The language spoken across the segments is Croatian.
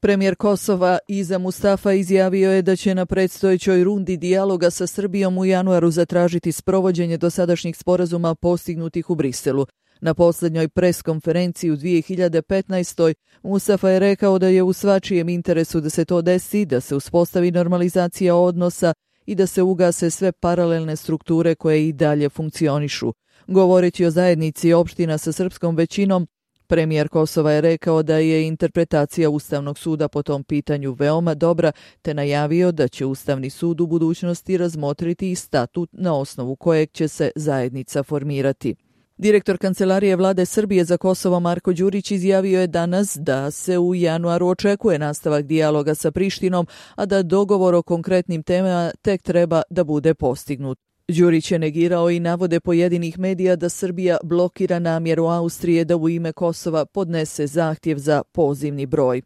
Premijer Kosova Iza Mustafa izjavio je da će na predstojećoj rundi dijaloga sa Srbijom u januaru zatražiti sprovođenje dosadašnjih sporazuma postignutih u Briselu. Na posljednjoj preskonferenciji u 2015. Mustafa je rekao da je u svačijem interesu da se to desi, da se uspostavi normalizacija odnosa i da se ugase sve paralelne strukture koje i dalje funkcionišu. Govoreći o zajednici opština sa srpskom većinom, premijer Kosova je rekao da je interpretacija Ustavnog suda po tom pitanju veoma dobra, te najavio da će Ustavni sud u budućnosti razmotriti i statut na osnovu kojeg će se zajednica formirati. Direktor Kancelarije Vlade Srbije za Kosovo Marko Đurić izjavio je danas da se u januaru očekuje nastavak dijaloga sa Prištinom, a da dogovor o konkretnim temama tek treba da bude postignut. Đurić je negirao i navode pojedinih medija da Srbija blokira namjeru Austrije da u ime Kosova podnese zahtjev za pozivni broj.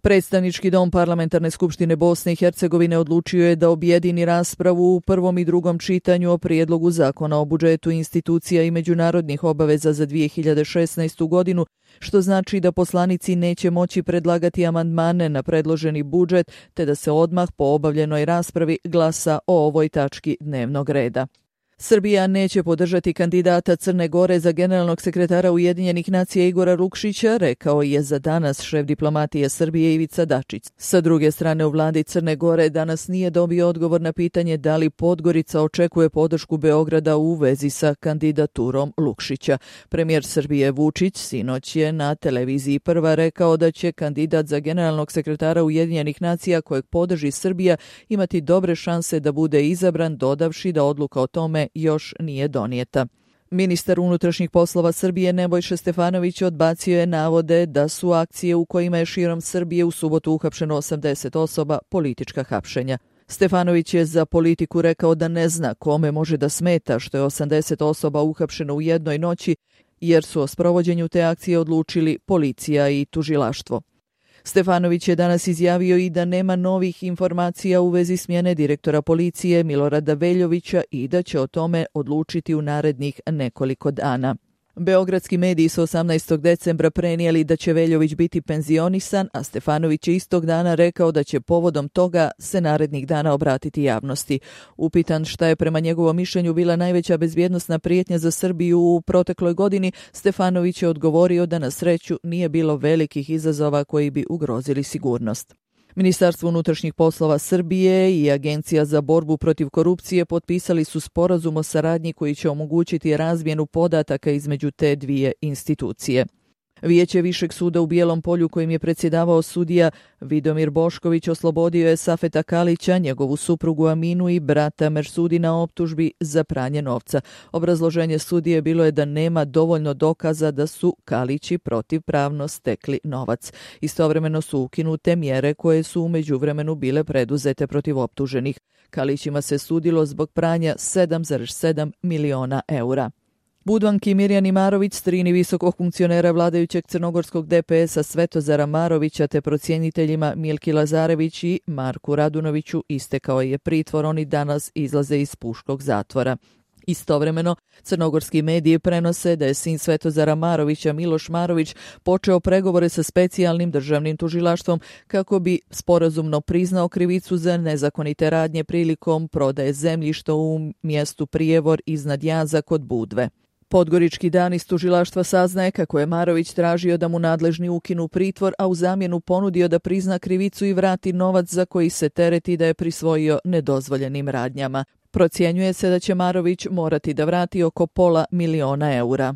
Predstavnički dom Parlamentarne skupštine Bosne i Hercegovine odlučio je da objedini raspravu u prvom i drugom čitanju o prijedlogu zakona o budžetu institucija i međunarodnih obaveza za 2016. godinu, što znači da poslanici neće moći predlagati amandmane na predloženi budžet, te da se odmah po obavljenoj raspravi glasa o ovoj tački dnevnog reda. Srbija neće podržati kandidata Crne Gore za generalnog sekretara Ujedinjenih nacija Igora Lukšića, rekao je za danas šef diplomatije Srbije Ivica Dačić. Sa druge strane, u vladi Crne Gore danas nije dobio odgovor na pitanje da li Podgorica očekuje podršku Beograda u vezi sa kandidaturom Lukšića. Premijer Srbije Vučić sinoć je na televiziji Prva rekao da će kandidat za generalnog sekretara Ujedinjenih nacija kojeg podrži Srbija imati dobre šanse da bude izabran, dodavši da odluka o tome još nije donijeta. Ministar unutrašnjih poslova Srbije Nebojša Stefanović odbacio je navode da su akcije u kojima je širom Srbije u subotu uhapšeno 80 osoba politička hapšenja. Stefanović je za Politiku rekao da ne zna kome može da smeta što je 80 osoba uhapšeno u jednoj noći, jer su o sprovođenju te akcije odlučili policija i tužilaštvo. Stefanović je danas izjavio i da nema novih informacija u vezi smjene direktora policije Milorada Veljovića i da će o tome odlučiti u narednih nekoliko dana. Beogradski mediji su 18. decembra prenijeli da će Veljović biti penzionisan, a Stefanović je istog dana rekao da će povodom toga se narednih dana obratiti javnosti. Upitan šta je prema njegovom mišljenju bila najveća bezbjednosna prijetnja za Srbiju u protekloj godini, Stefanović je odgovorio da na sreću nije bilo velikih izazova koji bi ugrozili sigurnost. Ministarstvo unutrašnjih poslova Srbije i Agencija za borbu protiv korupcije potpisali su sporazum o saradnji koji će omogućiti razmjenu podataka između te dvije institucije. Vijeće Višeg suda u Bijelom Polju kojim je predsjedavao sudija Vidomir Bošković oslobodio je Safeta Kalića, njegovu suprugu Aminu i brata Mersudi na optužbi za pranje novca. Obrazloženje sudije bilo je da nema dovoljno dokaza da su Kalići protivpravno stekli novac. Istovremeno su ukinute mjere koje su u međuvremenu bile preduzete protiv optuženih. Kalićima se sudilo zbog pranja 7,7 miliona eura. Budvanki Mirjani Marović, strini visokog funkcionera vladajućeg crnogorskog DPS-a Svetozara Marovića te procjeniteljima Milki Lazarević i Marku Radunoviću istekao je pritvor, oni danas izlaze iz puškog zatvora. Istovremeno, crnogorski mediji prenose da je sin Svetozara Marovića, Miloš Marović, počeo pregovore sa specijalnim državnim tužilaštvom kako bi sporazumno priznao krivicu za nezakonite radnje prilikom prodaje zemljišta u mjestu Prijevor iznad Jaza kod Budve. Podgorički dan iz tužilaštva saznaje kako je Marović tražio da mu nadležni ukinu pritvor, a u zamjenu ponudio da prizna krivicu i vrati novac za koji se tereti da je prisvojio nedozvoljenim radnjama. Procjenjuje se da će Marović morati da vrati oko $500.000 eura.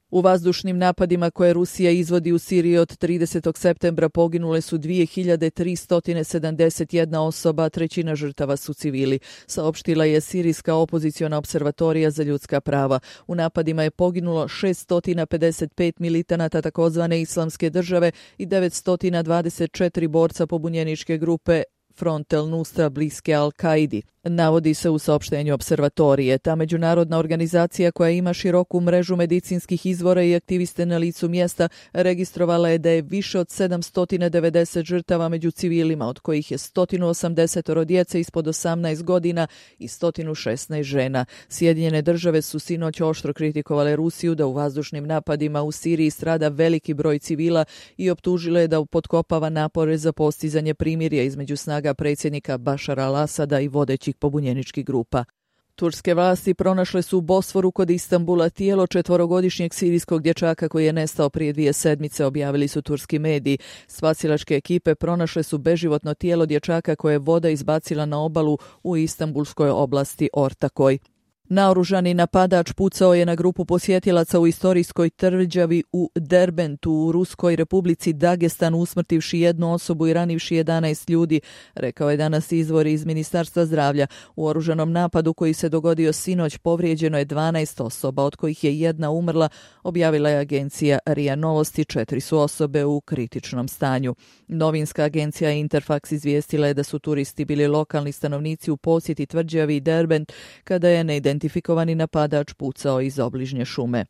U vazdušnim napadima koje Rusija izvodi u Siriji od 30. septembra poginule su 2371 osoba, trećina žrtava su civili, saopštila je Sirijska opoziciona observatorija za ljudska prava. U napadima je poginulo 655 militanata takozvane Islamske države i 924 borca pobunjeničke grupe Front el Nusra bliske Al-Kaidi. Navodi se u saopštenju observatorije. Ta međunarodna organizacija koja ima široku mrežu medicinskih izvora i aktiviste na licu mjesta registrovala je da je više od 790 žrtava među civilima, od kojih je 180 djece ispod 18 godina i 116 žena. Sjedinjene države su sinoć oštro kritikovale Rusiju da u vazdušnim napadima u Siriji strada veliki broj civila i optužile je da potkopava napore za postizanje primirja između snaga predsjednika Bašara al-Asada i vodećih pobunjeničkih grupa. Turske vlasti pronašle su u Bosforu kod Istanbula tijelo 4-godišnjeg sirijskog dječaka koji je nestao prije 2 sedmice, objavili su turski mediji. Spasilačke ekipe pronašle su beživotno tijelo dječaka koje je voda izbacila na obalu u Istanbulskoj oblasti Ortakoj. Naoružani napadač pucao je na grupu posjetilaca u istorijskoj tvrđavi u Derbentu u Ruskoj republici Dagestan, usmrtivši 1 osobu i ranivši 11 ljudi, rekao je danas izvor iz Ministarstva zdravlja. U oružanom napadu koji se dogodio sinoć povrijeđeno je 12 osoba, od kojih je 1 umrla, objavila je agencija RIA Novosti, 4 su osobe u kritičnom stanju. Novinska agencija Interfax izvijestila je da su turisti bili lokalni stanovnici u posjeti tvrđavi Derbent kada je neidentifikovani napadač pucao iz obližnje šume.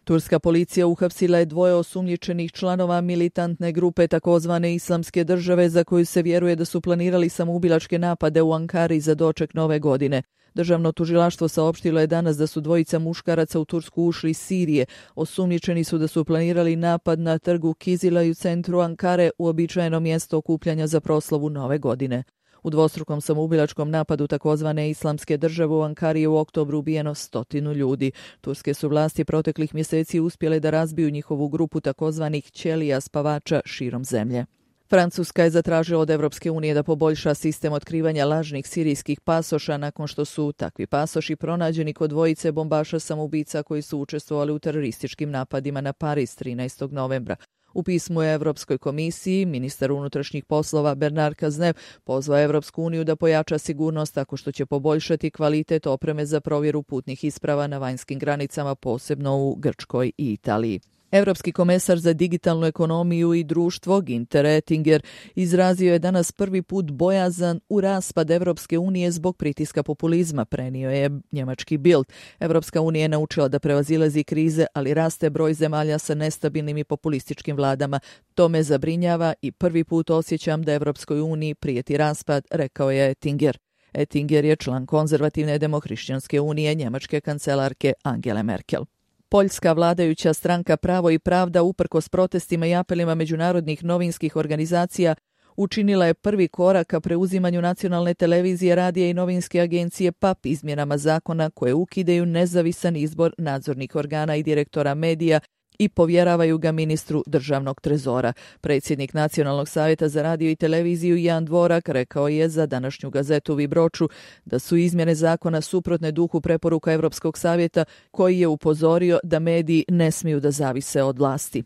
Turska policija uhapsila je 2 osumnjičenih članova militantne grupe takozvane Islamske države za koju se vjeruje da su planirali samoubilačke napade u Ankari za doček nove godine. Državno tužilaštvo saopštilo je danas da su 2 muškaraca u Tursku ušli iz Sirije. Osumnjičeni su da su planirali napad na trgu Kizila i u centru Ankare, uobičajeno mjesto okupljanja za proslavu nove godine. U dvostrukom samoubilačkom napadu takozvane Islamske države u Ankari je u oktobru ubijeno 100 ljudi. Turske su vlasti proteklih mjeseci uspjele da razbiju njihovu grupu takozvanih ćelija spavača širom zemlje. Francuska je zatražila od Evropske unije da poboljša sistem otkrivanja lažnih sirijskih pasoša nakon što su takvi pasoši pronađeni kod 2 bombaša samoubica koji su učestvovali u terorističkim napadima na Pariz 13. novembra. U pismu je Evropskoj komisiji ministar unutrašnjih poslova Bernard Cazeneuve pozvao Evropsku uniju da pojača sigurnost tako što će poboljšati kvalitet opreme za provjeru putnih isprava na vanjskim granicama, posebno u Grčkoj i Italiji. Europski komesar za digitalnu ekonomiju i društvo Günther Oettinger izrazio je danas prvi put bojazan u raspad Evropske unije zbog pritiska populizma, prenio je njemački Bild. Evropska unija je naučila da prevazilazi krize, ali raste broj zemalja sa nestabilnim i populističkim vladama. To me zabrinjava i prvi put osjećam da Evropskoj uniji prijeti raspad, rekao je Oettinger. Oettinger je član konzervativne demohrišćanske unije njemačke kancelarke Angele Merkel. Poljska vladajuća stranka Pravo i pravda, uprkos protestima i apelima međunarodnih novinskih organizacija, učinila je prvi korak ka preuzimanju nacionalne televizije, radija i novinske agencije PAP izmjenama zakona koje ukidaju nezavisan izbor nadzornih organa i direktora medija i povjeravaju ga ministru državnog trezora. Predsjednik Nacionalnog savjeta za radio i televiziju Jan Dvorak rekao je za današnju gazetu Vibroču da su izmjene zakona suprotne duhu preporuka Europskog savjeta koji je upozorio da mediji ne smiju da zavise od vlasti.